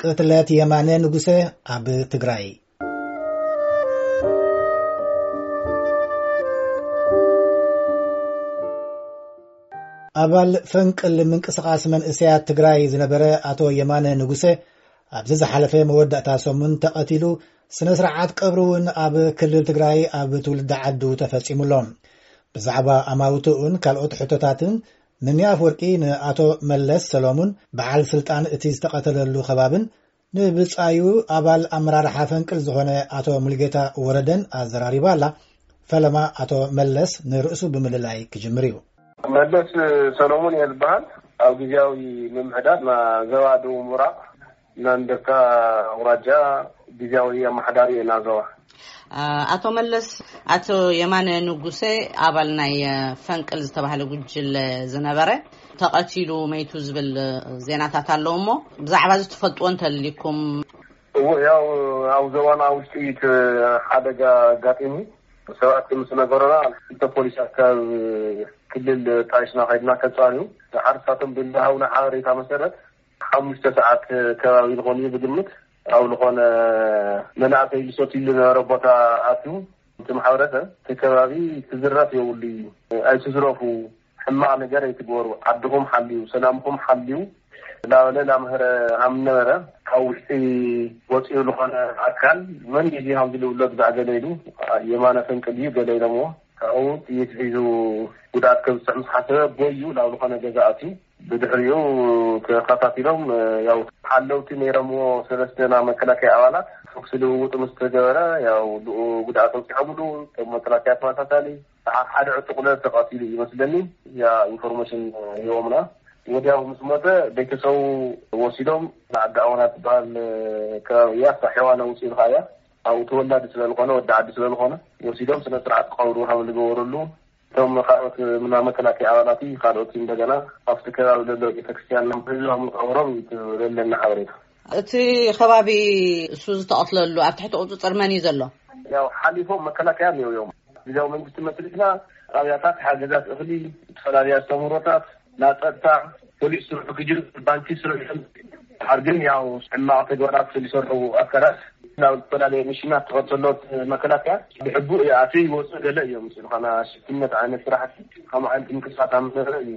ቅትለት የማነ ንጉሰ ኣብ ትግራይ። ኣባል ፈንቅል ምንቅስቓስ መንእሰያት ትግራይ ዝነበረ ኣቶ የማነ ንጉሰ ኣብዚ ዝሓለፈ መወዳእታ ሰሙን ተቐቲሉ፣ ስነ ስርዓት ቀብሩ እውን ኣብ ክልል ትግራይ ኣብ ትውልዲ ዓዱ ተፈጺሙ ኣሎ። ብዛዕባ ኣማውትኡን ካልኦት ሕቶታትን፣ ምኒ ኣፍወርቂ ንኣቶ መለስ ሰሎሙን፣ በዓል ስልጣን እቲ ዝተቐተለሉ ከባብን ንብጻዩ ኣባል ኣመራርሓ ፈንቅል ዝኾነ ኣቶ ሙሉጌታ ወረደን ኣዘራሪባ ኣላ። ፈለማ ኣቶ መለስ ንርእሱ ብምልላይ ክጅምር እዩ። መለስ ሰሎሙን እየ ዝበሃል። ኣብ ግዜያዊ ምምሕዳር ና ዞባ ደቡብ ምብራቕ ናንደካ ኣውራጃ ግዜያዊ ኣመሓዳሪ እየ ና ዞባ። ኣቶ መለስ፣ ኣቶ የማነ ንጉሰ ኣባል ናይ ፈንቅል ዝተባህለ ጉጅለ ዝነበረ ተቐቲሉ መይቱ ዝብል ዜናታት ኣለዉ እሞ፣ ብዛዕባ እዚ ትፈልጥዎ እንተልይኩም? እዎ፣ ያው ኣብ ዞባና ውሽጢ እቲ ሓደጋ ኣጋጢሙ፣ ሰባት ምስ ነገሩና፣ ክልተ ፖሊሳት ካብ ክልል ጣይሽና ከይድና ከጻርዩ፣ ንሓረስታቶም ብዝሃቡና ሓበሬታ መሰረት፣ ሓሙሽተ ሰዓት ከባቢ ዝኾን እዩ ብግምት፣ ኣብ ዝኾነ መናእሰይ ዝሰትይሉ ዝነበረ ቦታ ኣትዩ፣ እቲ ማሕበረሰብ እቲ ከባቢ ክዝረፍ የብሉ እዩ፣ ኣይትዝረፉ፣ ሕማቕ ነገር ኣይትግበሩ፣ ዓድኹም ሓልዩ፣ ሰላምኹም ሓልዩ፣ እናበለ እናምሀረ ሃም ነበረ። ካብ ውሽጢ ወፂኡ ዝኾነ ኣካል መን እዩ ሃም ዝልብሎ ግዛዕ ገለ ኢሉ፣ የማነ ፈንቅል እዩ ገለ ኢሎምዎ። ካብኡ ጥይት ሒዙ ጉድኣት ከብፅሕ ምስ ሓሰበ ቦዩ ናብ ዝኾነ ገዛ ኣትዩ። ብድሕሪኡ ተኸታቲሎም፣ ያው ሓለውቲ ነይሮምዎ ሰለስተ ናይ መከላከያ ኣባላት ተኩሲ ልውውጥ ምስ ተገበረ፣ ያው ብኡ ጉድኣት ኣውፂኦምሉ። እቶም መከላከያ ተመሳሳሊ ሰዓት ሓደ ዕጡቕ ለ ተቐቲሉ እዩ መስለኒ። ያ ኢንፎርሜሽን ሂቦምና። ወዲያው ምስ ሞተ ቤተሰቡ ወሲዶም ንዓዲ ኣወና ትበሃል ከባቢ እያ፣ ሳሒዋ ነውፂ ኢልካ እያ። ኣብኡ ተወላዲ ስለዝኾነ፣ ወዲ ዓዲ ስለዝኾነ፣ ወሲዶም ስነ ስርዓት ቀብሩ ከም ዝገበረሉ፣ እቶም ካልኦት ምና መከላከያ ኣባላት ካልኦት እንደገና ኣብቲ ከባቢ ዘሎ ቤተክርስትያን ህዝቦም ቀብሮም እዩ ዘለና ሓበሬታ። እቲ ከባቢ እሱ ዝተቐትለሉ ኣብ ትሕቲ ቁፅፅር መን እዩ ዘሎ? ያው ሓሊፎም መከላከያ እዮም። ግዜያዊ መንግስቲ መስሪትና ጣብያታት፣ ሓገዛት እኽሊ፣ ዝተፈላለዩ ኣስተምህሮታት፣ ናይ ጸጥታ፣ ፖሊስ ስርሑ ክጅምር፣ ባንኪ ስርሑ። ድሓር ግን ያው ሕማቕ ተግባራት ዝሰርሑ ኣካላት ናብ ዝተፈላለዩ ሚሽናት ተኸተሎት መከላከያ ብሕቡእ ይኣትዩ ይወፁ ገለ እዮም። ስልኻና ሽፍትነት ዓይነት ስራሕቲ፣ ከምኡ ዓይነት ምንቅስቃስ ኣብ ዝነበረ እዩ።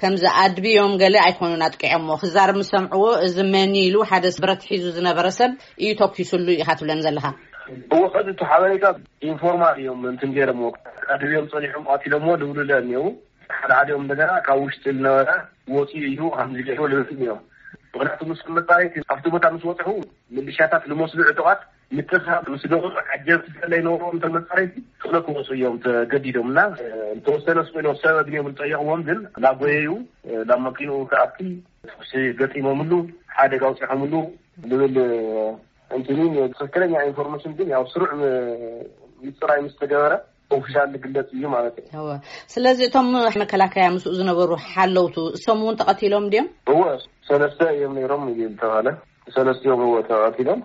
ከምዚ ኣድብዮም ገለ ኣይኮኑን ኣጥቂዖሞ። ክዛረብ ምስ ሰምዕዎ፣ እዚ መን ኢሉ ሓደ ብረት ሒዙ ዝነበረ ሰብ እዩ ተኩሱሉ ኢኻ ትብለን ዘለኻ? እዎ፣ ከዚ እቲ ሓበሬታ ኢንፎርማል እዮም እንትን ገይሮምዎ። ኣድብዮም ጸኒሖም ቀቲሎምዎ ልብሉ ለ እኒአው። ሓደ ሓዲኦም እንደገና ካብ ውሽጢ ዝነበረ ወፂኡ እዩ ከምዚ ገይሩ ልብል እዮም። ምክንያቱ ምስ መጻረይቲ ኣብቲ ቦታ ምስ በፅሑ፣ ምልሻታት ዝመስሉ ዕጡቓት ምትእስሳር ምስ ገበሩ፣ ዓጀብቲ ስለይነበርዎም እቶም መጻረይቲ ቶሎ ክወፁ እዮም ተገዲዶም እና፣ ዝተወሰነ ስቕ ኢሎም ሰብ ኣግንዮም ዝጠየቕዎም ግን እናጎየዩ ናብ መኪንኡ ክኣቲ ተኩሲ ገጢሞምሉ፣ ሓደጋ ኣውፂሖምሉ ዝብል እንትኑ። ትክክለኛ ኢንፎርሜሽን ግን ያው ስሩዕ ም-፣ ምፅራይ ምስ ተገበረ ኦፊሻል ዝግለፅ እዩ ማለት እዩ። እወ። ስለዚ እቶም መከላከያ ምስኡ ዝነበሩ ሓለውቱ እሶም እውን ተቐቲሎም ድዮም? እወ፣ ሰለስተ እዮም ነይሮም እዩ ዝተባለ። ሰለስቲኦም እወ ተቐቲሎም።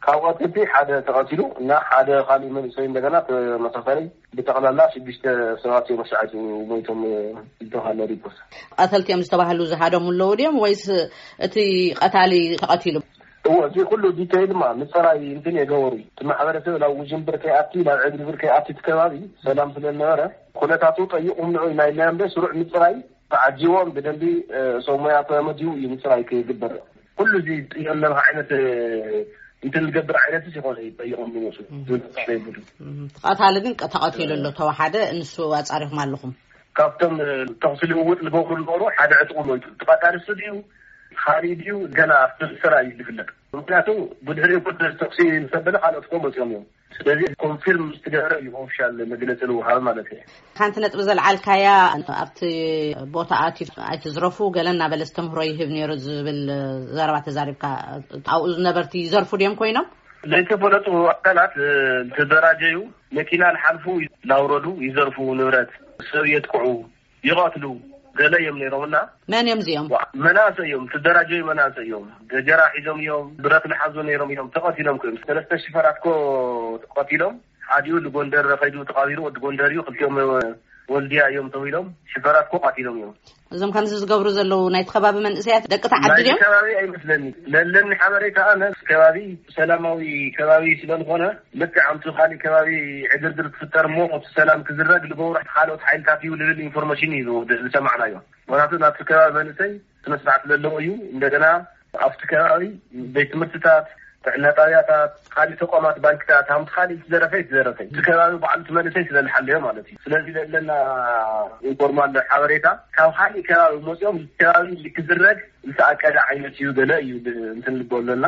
ካብ ቀተልቲ ሓደ ተቐቲሉ እና ሓደ ካሊእ መንእሰይ እንደገና ተመሳሳሊ፣ ብጠቕላላ ሽዱሽተ ሰባት እዮም ኣሻዓቱ ሞይቶም ዝተባለ ሪፖርት። ቀተልቲ እዮም ዝተባህሉ ዝሃደሙ ኣለዉ ድዮም ወይስ እቲ ቀታሊ ተቐቲሉ? እዎ፣ እዚ ኩሉ ዲቴይል ማ ምፅራይ እንትን የገበሩ እዩ። እቲ ማሕበረሰብ ናብ ውዥንብር ከይኣቲ፣ ናብ ዕግርግር ከይኣቲ እቲ ከባቢ ሰላም ስለዝነበረ ኩነታቱ ጠይቑም ንዑ ኢና ኢልና እምበር ስሩዕ ምፅራይ ተዓጂቦም ብደንቢ፣ እ፣ ሰብ ሞያ ተመዲቡ እዩ ምፅራይ ክግበር። ኩሉ እዚ ጥየም ለምኻ ዓይነት፣ እ፣ እንትን ዝገብር ዓይነት ይኾነ እዩ ጠይቖም ዝመፁ። እም። ዝመፅእ ይብሉ። እም። ተቐታሊ ግን ቀ-፣ ተቐቲሉ ኣሎ። ተወሓደ ንሱ ኣፃሪኹም ኣለኹም? ካብቶም፣ እ፣ ተኹሲ ልውውጥ ዝገብሩ ዝነበሩ ሓደ ዕጥቁ ሞይቱ። እቲ ቀታሊ እሱ ድዩ? ካሊእ ድዩ? ገና ኣብቲ ስራ እዩ ዝፍለጥ። ምክንያቱ ብድሕሪኡ እኮ ተኹሲ ምስ ኣበለ ካልኦት እኮ መፂኦም እዮም። ስለዚ ኮንፊርም ምስ ተገበረ እዩ ኦፊሻል መግለፂ ዝወሃብ ማለት እዩ። ሓንቲ ነጥቢ ዘልዓልካያ፣ ኣብቲ ቦታ ኣትዩ ኣይትዝረፉ ገለ እናበለ ኣስተምህሮ ይህብ ነይሩ ዝብል ዘረባ ተዛሪብካ። ኣብኡ ዝነበርቲ ይዘርፉ ድዮም ኮይኖም? ዘይተፈለጡ ኣካላት፣ እ፣ ዝተደራጀዩ መኪና ንሓልፉ እናውረዱ ይዘርፉ፣ ንብረት ሰብ የጥቅዑ። ይቐትሉ ገለ እዮም ነይሮምና። መን እዮም እዚኦም? ዋ፣ መናእሰይ እዮም፣ ትደራጀዩ መናእሰይ እዮም። ገጀራ ሒዞም እዮም፣ ብረት ዝሓዙ ነይሮም እዮም፣ ተቐቲሎም እዮም። ሰለስተ ሽፈራት ኮ ተቐቲሎም፣ ሓዲኡ ንጎንደር ከይዱ ተቐቢሩ፣ ወዲ ጎንደር እዩ። ክልቲኦም ወልድያ እዮም ተው ኢሎም ሽፈራት ኮ ቃቲሎም እዮም። እዞም ከምዚ ዝገብሩ ዘለዉ ናይቲ ከባቢ መንእሰያት ደቂ ተዓዲ ናይቲ ድዮም? ከባቢ ኣይመስለኒ። ለለኒ ሓበሬታ ኣነ እቲ ከባቢ ሰላማዊ ከባቢ ስለዝኾነ ልክዕ ኣብቲ ካሊእ ከባቢ ዕግርግር ክፍጠር እሞ እቲ ሰላም ክዝረግ ልገብሩ ካልኦት ሓይልታት እዩ ልብል ኢንፎርሜሽን እዩ ዝሰማዕናዮ። ምክንያቱ ናብቲ ከባቢ መንእሰይ ስነ ስርዓት ዘለዎ እዩ። እንደገና ኣብቲ ከባቢ ቤት ትምህርትታት፣ ጥዕና ጣብያታት፣ ካልእ ተቋማት፣ ባንክታት፣ ሃምቲ ካልእ ዝተዘረፈ ዝተዘረፈ እቲ ከባቢ ባዕሉ እቲ መንእሰይ ስለዝሓለዮ ማለት እዩ። ስለዚ ዘለና ኢንፎርማል ሓበሬታ ካብ ካልእ ከባቢ መፅኦም እቲ ከባቢ ክዝረግ ዝተኣቀደ ዓይነት እዩ ገለ እዩ ብ- እንትን ልቦ ኣለና።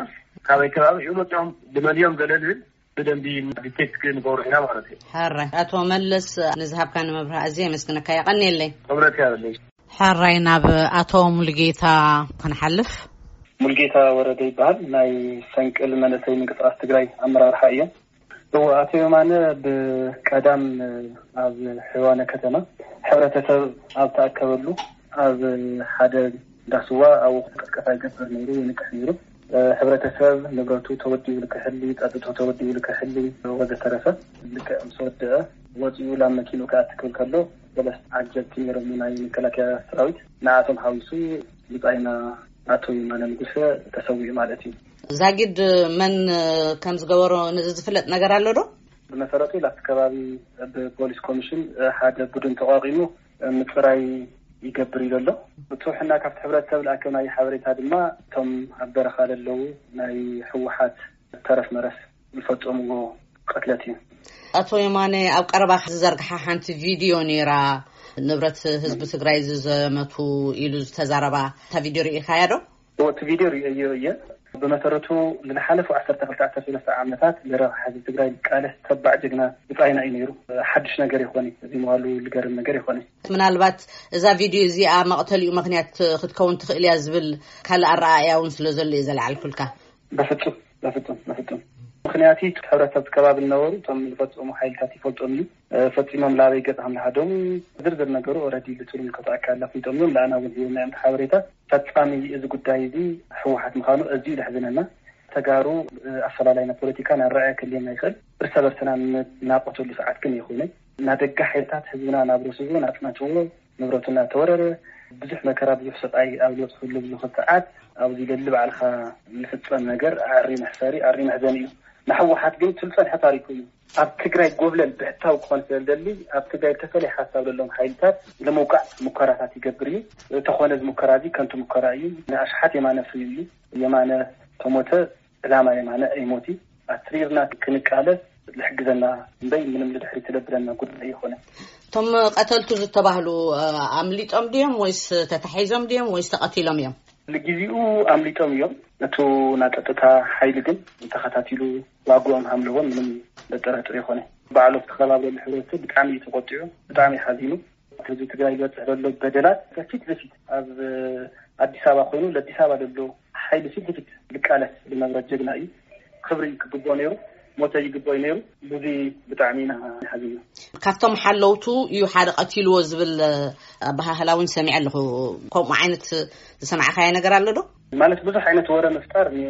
ካበይ ከባቢ እዩ መፅኦም፣ ብመን እዮም ገለ ዝብል ብደንቢ ዲቴክት ክንገብሮ ኢና ማለት እዩ። ሕራይ ኣቶ መለስ፣ ንዝሃብካኒ መብርሂ ኣዝየ የመስግነካ፣ የቐንየለይ። ክብረት ያበለይ። ሕራይ ናብ ኣቶ ሙሉጌታ ክንሓልፍ። ሙልጌታ ወረደ ይበሃል። ናይ ፈንቅል መንእሰይ ምንቅስቃስ ትግራይ ኣመራርሓ እዮም። እዎ፣ ኣቶ የማነ ብቀዳም ኣብ ሕዋነ ከተማ ሕብረተሰብ ኣብ ተኣከበሉ ኣብ ሓደ ዳስዋ ኣብኡ ቅስቀሳ ይገብር ነይሩ፣ ይንቅሕ ነይሩ። ሕብረተሰብ ንብረቱ ተወዲኡ ልክሕሊ፣ ጸጥቶ ተወዲኡ ልክሕሊ ወዘተረፈ ልክዕ ምስ ወደአ ወፂኡ ላብ መኪኑ ክኣቲ ክብል ከሎ ሰለስተ ዓጀብቲ ነይሮም ናይ መከላከያ ሰራዊት፣ ንኣቶም ሓዊሱ ብፃይና ኣቶ ይማነ ንጉሰ ተሰዊኡ ማለት እዩ። ዛጊድ መን ከም ዝገበሮ ነዚ ዝፍለጥ ነገር ኣሎ ዶ? ብመሰረቱ ላብቲ ከባቢ ብፖሊስ ኮሚሽን ሓደ ቡድን ተቋቂሙ ምፅራይ ይገብር እዩ ዘሎ። ብፅሑሕና ካብቲ ሕብረተሰብ ዝኣከብናዮ ሓበሬታ ድማ እቶም ኣብ በረኻ ለለዉ ናይ ህወሓት ተረፍ መረፍ ዝፈፀምዎ ቅትለት እዩ። ኣቶ የማነ ኣብ ቀረባ ዝዘርግሓ ሓንቲ ቪድዮ ነይራ፣ ንብረት ህዝቢ ትግራይ ዝዘመቱ ኢሉ ዝተዛረባ፣ እታ ቪድዮ ርኢኻያ ዶ? እቲ ቪድዮ ርእየዮ እየ። ብመሰረቱ ንዝሓለፉ ዓሰርተ ክልተ ዓሰርተ ሰለስተ ዓመታት ንረብሓ ህዝቢ ትግራይ ዝቃለስ ተባዕ ጀግና ብፃይና እዩ ነይሩ። ሓድሽ ነገር ይኾን እዚ ምባሉ ዝገርም ነገር ይኾን። ምናልባት እዛ ቪድዮ እዚኣ መቕተሊኡ ምኽንያት ክትከውን ትኽእል እያ ዝብል ካልእ ኣረኣእያ እውን ስለ ዘሎ እዩ ዘለዓልኩልካ። በፍፁም በፍፁም በፍፁም። ምክንያቱ ሕብረተሰብ ከባቢ ዝነበሩ እቶም ዝፈፀሙ ሓይልታት ይፈልጦም እዩ። ፈፂሞም ላበይ ገፅ ከም ዝሃደሙ ዝርዝር ነገሩ ኦረዲ ልፅሉ ንከተኣካ ኣፍሊጦም እዮም። ለኣና እውን ሂቦም ናይ ሓበሬታ ፈፃሚ እዚ ጉዳይ እዚ ህወሓት ምዃኑ እዚዩ ዘሕዝነና። ተጋሩ ኣፈላላይና ፖለቲካ ናረኣያ ክልየና ይኽእል። እርሰ በርስና እናቆተሉ ሰዓት ግን ይኹነ ናደጋ ሓይልታት ህዝብና ናብ ርእሱ ናፅናትዎ ንብረቱ እናተወረረ ብዙሕ መከራ ብዙሕ ሰብኣይ ኣብ ዝበፅሕሉ ብዙ ሰዓት ኣብዚ ለሊ ባዕልኻ ዝፍፀም ነገር ኣሪ መሕፈሪ ኣሪ መሕዘን እዩ። ንሕወሓት ግን ትልፀንሐ ታሪኩ እዩ። ኣብ ትግራይ ጎብለል ብሕታዊ ክኾን ስለዝደሊ ኣብ ትግራይ ተፈለየ ሓሳብ ዘለዎም ሓይልታት ንምውቃዕ ሙከራታት ይገብር እዩ። ተኾነ እዚ ሙከራ እዚ ከንቱ ሙከራ እዩ። ንኣሽሓት የማነ ፍርዩ እዩ። የማነ ተሞተ ዕላማ የማነ ኣይሞት እዩ። ኣትሪርና ክንቃለስ ዝሕግዘና እምበይ ምንም ንድሕሪ ትለብለና ጉዳይ ይኾነ። እቶም ቀተልቱ ዝተባህሉ ኣምሊጦም ድዮም ወይስ ተታሒዞም ድዮም ወይስ ተቐቲሎም እዮም? ንግዜኡ ኣምሊጦም እዮም። እቱ ናጸጥታ ሓይሊ ግን ተኸታቲሉ ዋግኦም ሃምለዎም ምንም ዘጠራጥር ይኾነ። ባዕሉ ዝተኸባብረሉ ሕብረተሰብ ብጣዕሚ እዩ ተቆጢዑ፣ ብጣዕሚ ሓዚኑ። ህዝቢ ትግራይ ዝበፅሕ ዘሎ በደላት ፊት ለፊት ኣብ ኣዲስ ኣበባ ኮይኑ ለኣዲስ ኣበባ ዘሎ ሓይሊ ፊት ለፊት ዝቃለስ ዝነበረ ጀግና እዩ። ክብሪ ክግብኦ ነይሩ፣ ሞተ ይግብኦ ነይሩ። ብዙ ብጣዕሚ ኢና ሓዚና። ካብቶም ሓለውቱ እዩ ሓደ ቀቲልዎ ዝብል ኣበሃህላ እውን ሰሚዐ ኣለኹ። ከምኡ ዓይነት ዝሰማዕካዮ ነገር ኣሎ ዶ? ማለት ብዙሕ ዓይነት ወረ ምፍጣር እኒኦ።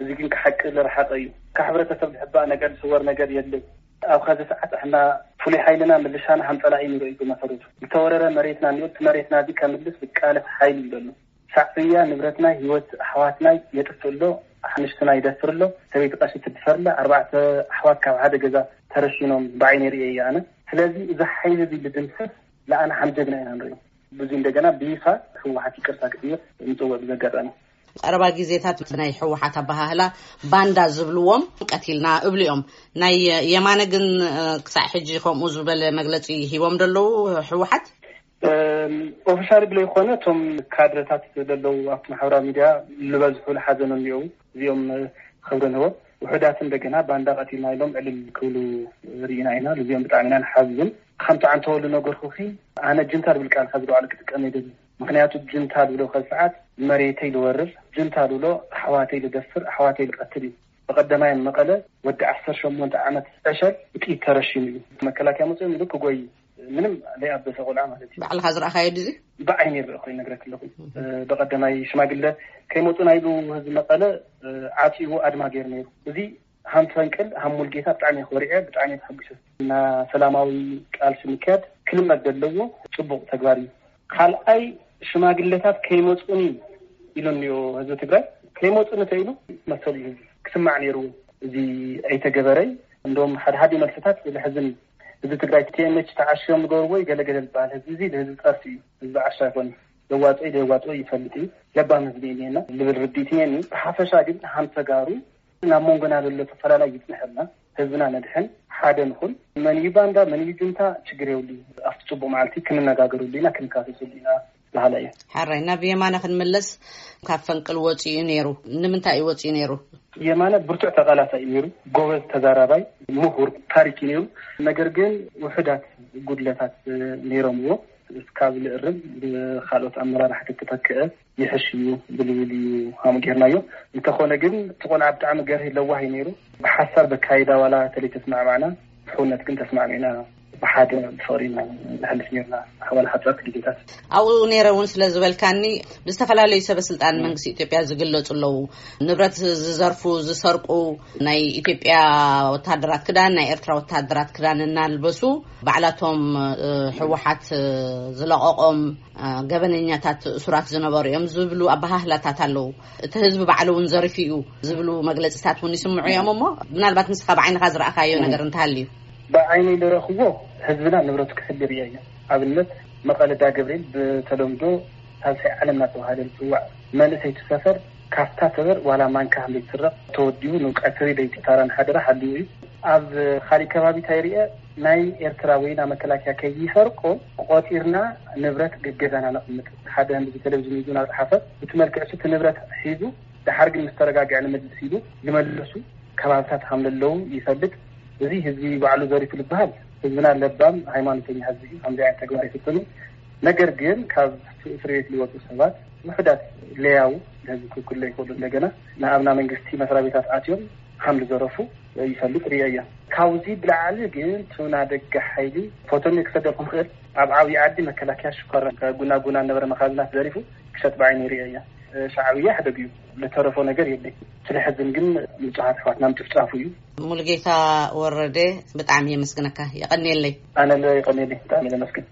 እዚ ግን ክሓቂ ዝረሓቐ እዩ። ካብ ሕብረተሰብ ዝሕባእ ነገር ዝስወር ነገር የለን። ኣብ ኸዚ ሰዓት ኣሕና ፍሉይ ሓይልና ምልሻና ሃም ጸላኢ ንርኢ እዩ ብመሰረቱ። ዝተወረረ መሬትና እኒኦ፣ እቲ መሬትና እዚ ከምልስ ዝቃለስ ሓይሊ እዩ ዘሎ። ሻዕብያ ንብረትና ህይወት ኣሕዋትና የጥፍእ ኣሎ፣ ኣሕንሽትና ይደፍር ኣሎ፣ ሰበይቲ ቀሺ ትድፈር ኣላ፣ ኣርባዕተ ኣሕዋት ካብ ሓደ ገዛ ተረሺኖም ብዓይነይ ርእየ እየ ኣነ። ስለዚ እዚ ሓይሊ እዚ ልድምሰስ ለኣና ሓም ጀግና ኢና ንሪኦ። ብዙ እንደገና ብይፋ ህወሓት ይቅርታ ክትብል ንፅውዕ ብዘጋጣሚ። ቀረባ ግዜታት ናይ ህወሓት ኣበሃህላ ባንዳ ዝብልዎም ቀቲልና እብሉ እዮም። ናይ የማነ ግን ክሳዕ ሕጂ ከምኡ ዝበለ መግለፂ ሂቦም ደለዉ ህወሓት? ኦፊሻል ብለይኮነ እቶም ካድረታት ዘለዉ ኣብቲ ማሕበራዊ ሚድያ ዝበዝሑ ዝሓዘኑ እኒአው። እዚኦም ክብሪ ንህቦ። ውሑዳት እንደገና ባንዳ ቀቲልና ኢሎም ዕልል ክብሉ ርኢና ኢና። እዚኦም ብጣዕሚ ኢና ንሓዝን። ከምቲ ዓንተወሉ ነገርኩኺ፣ ኣነ ጅንታ ዝብል ቃል ካብ ዝለዓሉ ክጥቀም ኣይደልን። ምክንያቱ ጅንታ ዝብሎ ከዚ ሰዓት መሬተይ ዝወርር፣ ጅንታ ዝብሎ ኣሕዋተይ ዝደፍር፣ ኣሕዋተይ ዝቀትል እዩ። ብቀደማይ መቐለ ወዲ ዓሰርተ ሸሞንተ ዓመት ዕሸል ብጥይት ተረሺኑ እዩ። መከላከያ መፅኦም ኢሉ ክጎይ ምንም ዘይኣበሰ ቆልዓ ማለት እዩ። ባዕልካ ዝረኣኻዮ ድዚ? ብዓይነይ ዝረእኩ ይነግረክ ኣለኹ። ብቀደማይ ሽማግለ ከይመፁና ኢሉ ህዝቢ መቐለ ዓፂቡ ኣድማ ገይሩ ነይሩ። እዚ ሃም ፈንቅል፣ ሃም ሙልጌታ ብጣዕሚ ኮሪዐ፣ ብጣዕሚ ተሐጒሰ። እና ሰላማዊ ቃልሲ ምክያድ ክልመድ ዘለዎ ጽቡቕ ተግባር እዩ። ካልኣይ፣ ሽማግለታት ከይመጹኒ ኢሉ እኒኦ ህዝቢ ትግራይ። ከይመጹኒ ተኢሉ መሰሉ እዩ፣ ክስማዕ ነይሩ። እዚ ኣይተገበረይ። እንደውም ሓደ ሓደ መልስታት ዝሕዝን እዩ። ህዝቢ ትግራይ ቲኤምኤች ተዓሽዮም ዝገብርዎ እዩ ገለገለ ዝበሃል ህዝቢ፣ እዚ ንህዝቢ ጸርፊ እዩ። ህዝቢ ዓሻ ኣይኮነ። ዘዋፅኦ ዘዋፅኦ ይፈልጥ እዩ። ለባም ህዝቢ እኒና ልብል ርድኢት እኒኒ። ብሓፈሻ ግን ሃም ተጋሩ ናብ መንጎና ዘሎ ተፈላላይ ይፅንሐልና። ህዝብና ነድሕን፣ ሓደ ንኹን። መን እዩ ባንዳ፣ መን እዩ ጁንታ፣ ችግር የብሉ። ኣብቲ ፅቡቅ መዓልቲ ክንነጋገርሉ ኢና፣ ክንካሰስሉ ኢና በሃላ እየ። ሓራይ ናብ የማነ ክንምለስ፣ ካብ ፈንቅል ወፂኡ ነይሩ። ንምንታይ እዩ ወፂኡ ነይሩ? የማነ ብርቱዕ ተቃላሳይ እዩ ነይሩ። ጎበዝ ተዛራባይ፣ ምሁር፣ ታሪክ እዩ ነይሩ። ነገር ግን ውሑዳት ጉድለታት ነይሮምዎ። እስካብ ልእርም ብካልኦት ኣመራርሓ ተተተክአ ይሕሽ እዩ ብልብል እዩ ሃሙ ጌርናዮ። እንተኾነ ግን እቲ ቆልዓ ብጣዕሚ ገርህ ለዋህ እዩ ነይሩ። ብሓሳብ በካይዳ ዋላ ተለይ ተስማዕማዕና፣ ብሕውነት ግን ተስማዕሚዕና ብሓደ ብፍቕሪ ኢና ንሕልፍ ነርና ኣሕዋል ሓፀርቲ ግዜታት። ኣብኡ ነይረ እውን ስለ ዝበልካኒ፣ ብዝተፈላለዩ ሰበ ስልጣን መንግስቲ ኢትዮጵያ ዝግለጹ ኣለዉ። ንብረት ዝዘርፉ፣ ዝሰርቁ፣ ናይ ኢትዮጵያ ወታደራት ክዳን፣ ናይ ኤርትራ ወታደራት ክዳን እናልበሱ ባዕላቶም ህወሓት ዝለቐቖም ገበነኛታት እሱራት ዝነበሩ እዮም ዝብሉ ኣባሃህላታት ኣለዉ። እቲ ህዝቢ ባዕሉ እውን ዘሪፉ እዩ ዝብሉ መግለፅታት እውን ይስምዑ እዮም። እሞ ምናልባት ንስኻ ብዓይንኻ ዝረኣኻዮ ነገር እንተሃልዩ? ብዓይነይ ዝረኽቦ፣ ህዝብና ንብረቱ ክሕሉ ርእየ እየ። ኣብነት፣ መቐለ ዳገብርኤል፣ ብተለምዶ ሳልሳይ ዓለም እናተባሃለ ዝፅዋዕ መንእሰይ ሰፈር፣ ካፍታ ሰበር ዋላ ማንካ ዘይትስረቕ፣ ተወዲቡ ንቀትሪ ለይቲ ታራን ሓደራ ሓልዩ እዩ። ኣብ ካሊእ ከባቢ እንታይ ርየ፣ ናይ ኤርትራ ወይና መከላከያ ከይሰርቆ ቆፂርና ንብረት ገገዛና ነቕምጥ። ሓደ ህንዲ ቴሌቪዥን ይዙ እናፀሓፈ፣ እቲ መልክዕ እቲ ንብረት ሒዙ፣ ደሓር ግን ምስ ተረጋግዐ ንመልስ ኢሉ ዝመለሱ ከባብታት ከም ዘለዉ ይፈልጥ። እዚ ህዝቢ ባዕሉ ዘሪፉ ዝበሃል ህዝብና ለባም ሃይማኖተኛ ህዝቢ እዩ። ከምዚ ዓይነት ተግባር ይፍፅም። ነገር ግን ካብ እስር ቤት ዝወፁ ሰባት ውሕዳት ለያው፣ ነዚ ክውክሎ ይኽእሉ። እንደገና ንኣብና መንግስቲ መስሪያ ቤታት ኣትዮም ከም ዝዘረፉ ይፈልጥ ርእየ እየ። ካብዚ ብላዕሊ ግን ትውና ደገ ሓይሊ ፎቶኒ ክሰደልኩም ክእል። ኣብ ዓብዪ ዓዲ መከላከያ ሽኳር ጉና ጉና ነበረ መኻዝናት ዘሪፉ ክሸጥ ብዓይኒ ርእየ እየ። ሻዕብያ ሕደግ እዩ። ልተረፎ ነገር የለይ። ስለሕዝን ግን ንጹሃት ኣሕዋትና ምጭፍጫፉ እዩ። ሙሉጌታ ወረደ፣ ብጣዕሚ የመስግነካ። የቐንየለይ። ኣነ ለ የቐንየለይ። ብጣዕሚ ለመስግን።